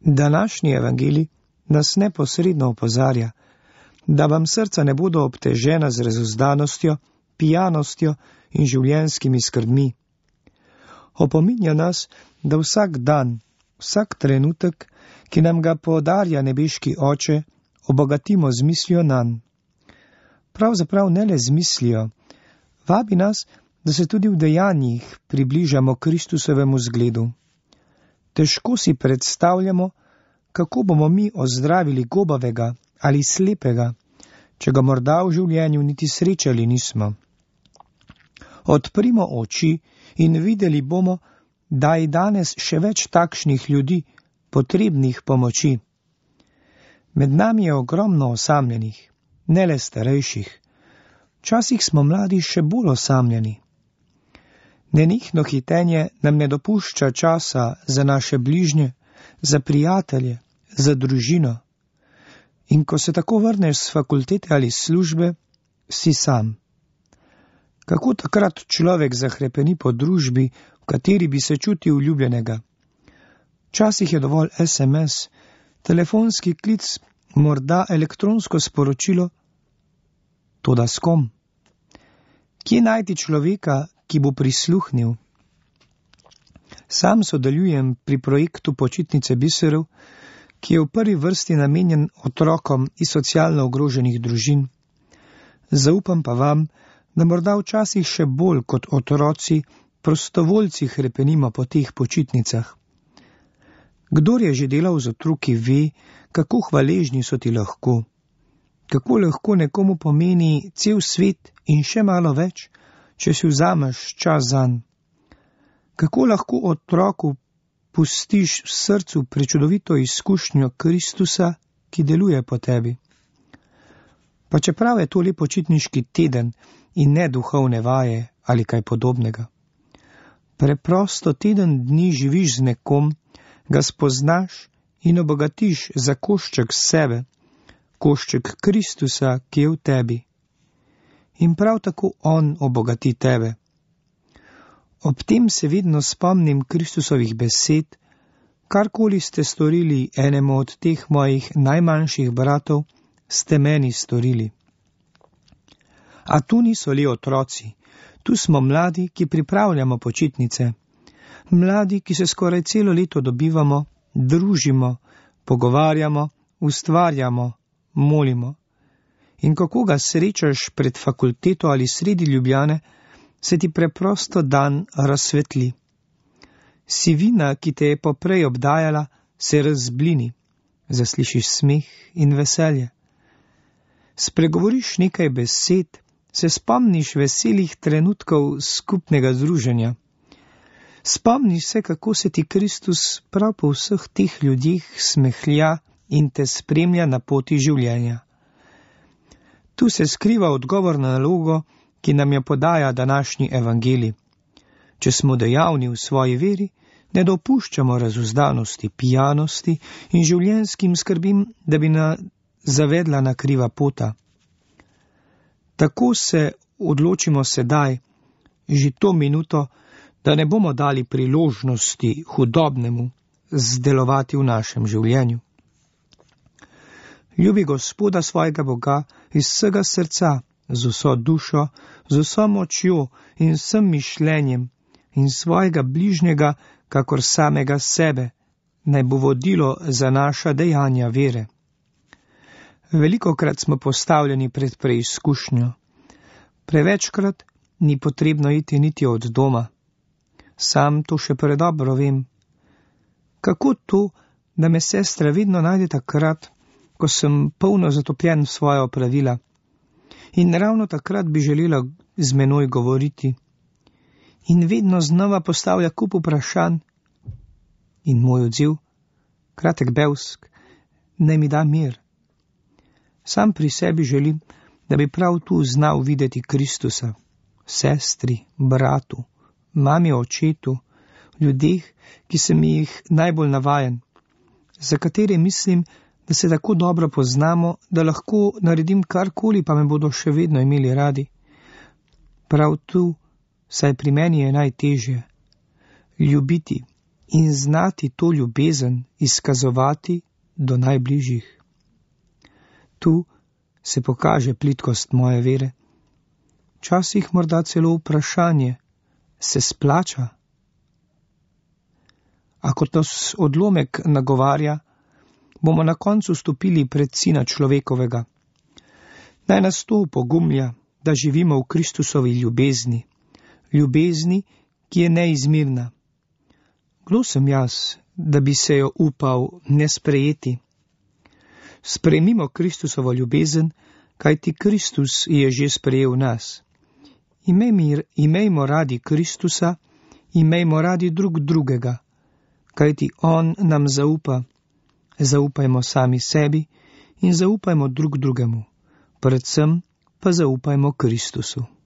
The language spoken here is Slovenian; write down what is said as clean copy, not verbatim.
Današnji evangelij nas neposredno opozarja, da vam srca ne bodo obtežena z razuzdanostjo, pijanostjo in življenjskimi skrbmi. Opominja nas, da vsak dan, vsak trenutek, ki nam ga podarja nebeški Oče, obogatimo z mislijo nanj. Pravzaprav ne le z mislijo, vabi nas, da se tudi v dejanjih približamo Kristusovemu zgledu. Težko si predstavljamo, kako bomo mi ozdravili gobavega ali slepega, če ga morda v življenju niti srečali nismo. Odprimo oči in videli bomo, da je danes še več takšnih ljudi, potrebnih pomoči. Med nami je ogromno osamljenih, ne le starejših. Včasih smo mladi še bolj osamljeni. Nenehno hitenje nam ne dopušča časa za naše bližnje, za prijatelje, za družino. In ko se tako vrneš s fakultete ali službe, si sam. Kako takrat človek zahrepeni po družbi, v kateri bi se čutil ljubljenega? Včasih je dovolj SMS, telefonski klic, morda elektronsko sporočilo. Toda s kom? Kje najti človeka, ki bo prisluhnil? Sam sodelujem pri projektu Počitnice biserov, ki je v prvi vrsti namenjen otrokom iz socialno ogroženih družin. Zaupam pa vam, da morda včasih še bolj kot otroci, prostovoljci hrepenimo po teh počitnicah. Kdor je že delal z otroki, ve, kako hvaležni so ti lahko. Kako lahko nekomu pomeni cel svet in še malo več, če si vzameš čas zanj. Kako lahko otroku pustiš v srcu prečudovito izkušnjo Kristusa, ki deluje po tebi. Pa čeprav je to le počitniški teden in ne duhovne vaje ali kaj podobnega. Preprosto teden dni živiš z nekom, ga spoznaš in obogatiš za košček sebe, košček Kristusa, ki je v tebi. In prav tako on obogati tebe. Ob tem se vedno spomnim Kristusovih besed, karkoli ste storili enemu od teh mojih najmanjših bratov, ste meni storili. A tu niso le otroci, tu smo mladi, ki pripravljamo počitnice. Mladi, ki se skoraj celo leto dobivamo, družimo, pogovarjamo, ustvarjamo, molimo. In kako ga srečaš pred fakulteto ali sredi Ljubljane, se ti preprosto dan razsvetli. Sivina, ki te je poprej obdajala, se razblini, zaslišiš smeh in veselje. Spregovoriš nekaj besed, se spomniš veselih trenutkov skupnega druženja. Spomniš se, kako se ti Kristus prav po vseh teh ljudeh smehlja in te spremlja na poti življenja. Tu se skriva odgovor na nalogo, ki nam jo podaja današnji evangelij. Če smo dejavni v svoji veri, ne dopuščamo razuzdanosti, pijanosti in življenjskim skrbim, da bi nas zavedla na kriva pota. Tako se odločimo sedaj, že to minuto, da ne bomo dali priložnosti hudobnemu zdelovati v našem življenju. Ljubi Gospoda svojega Boga iz vsega srca, z vso dušo, z vso močjo in vsem mišljenjem in svojega bližnjega, kakor samega sebe, naj bo vodilo za naša dejanja vere. Velikokrat smo postavljeni pred preizkušnjo. Prevečkrat ni potrebno iti niti od doma. Sam to še predobro vem. Kako to, da me sestra vedno najde takrat, ko sem polno zatopljen v svoja opravila, in ravno takrat bi želela z menoj govoriti. In vedno znova postavlja kup vprašanj. In moj odziv, kratek bevsk, naj mi da mir. Sam pri sebi želim, da bi prav tu znal videti Kristusa, sestri, bratu, mami, očetu, ljudeh, ki sem jih najbolj navajen, za katere mislim, da se tako dobro poznamo, da lahko naredim karkoli, pa me bodo še vedno imeli radi. Prav tu, saj pri meni je najtežje, ljubiti, in znati to ljubezen izkazovati do najbližjih. Tu se pokaže plitkost moje vere. Včasih morda celo vprašanje, se splača? A kot nas odlomek nagovarja, bomo na koncu stopili pred Sina človekovega. Naj nas to opogumlja, da živimo v Kristusovi ljubezni, ljubezni, ki je neizmirna. Kdo sem jaz, da bi se jo upal ne sprejeti? Sprejmimo Kristusovo ljubezen, kajti Kristus je že sprejel nas. Imejmo radi Kristusa, imejmo radi drug drugega, kajti On nam zaupa. Zaupajmo sami sebi in zaupajmo drug drugemu, predvsem pa zaupajmo Kristusu.